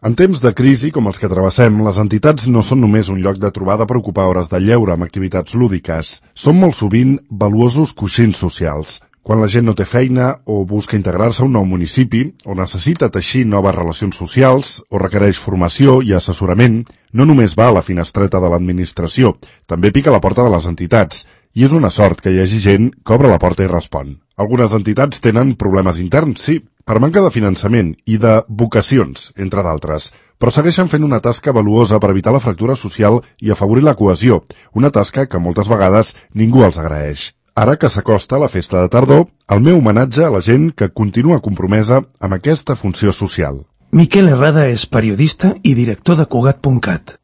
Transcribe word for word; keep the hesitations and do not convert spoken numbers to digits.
En temps de crisi com els que travessem, les entitats no són només un lloc de trobada per ocupar hores de lleure amb activitats lúdiques. Són molt sovint valuosos coixins socials. Quan la gent no té feina o busca integrar-se a un nou municipi, o necessita teixir noves relacions socials, o requereix formació i assessorament, no només va a la finestreta de l'administració, també pica a la porta de les entitats. I és una sort que hi hagi gent que obre la porta i respon. Algunes entitats tenen problemes interns, sí, per manca de finançament i de vocacions, entre d'altres, però segueixen fent una tasca valuosa per evitar la fractura social i afavorir la cohesió, una tasca que moltes vegades ningú els agraeix. Ara que s'acosta la festa de tardor, el meu homenatge a la gent que continua compromesa amb aquesta funció social. Miquel Herrada és periodista i director de Cugat punt cat.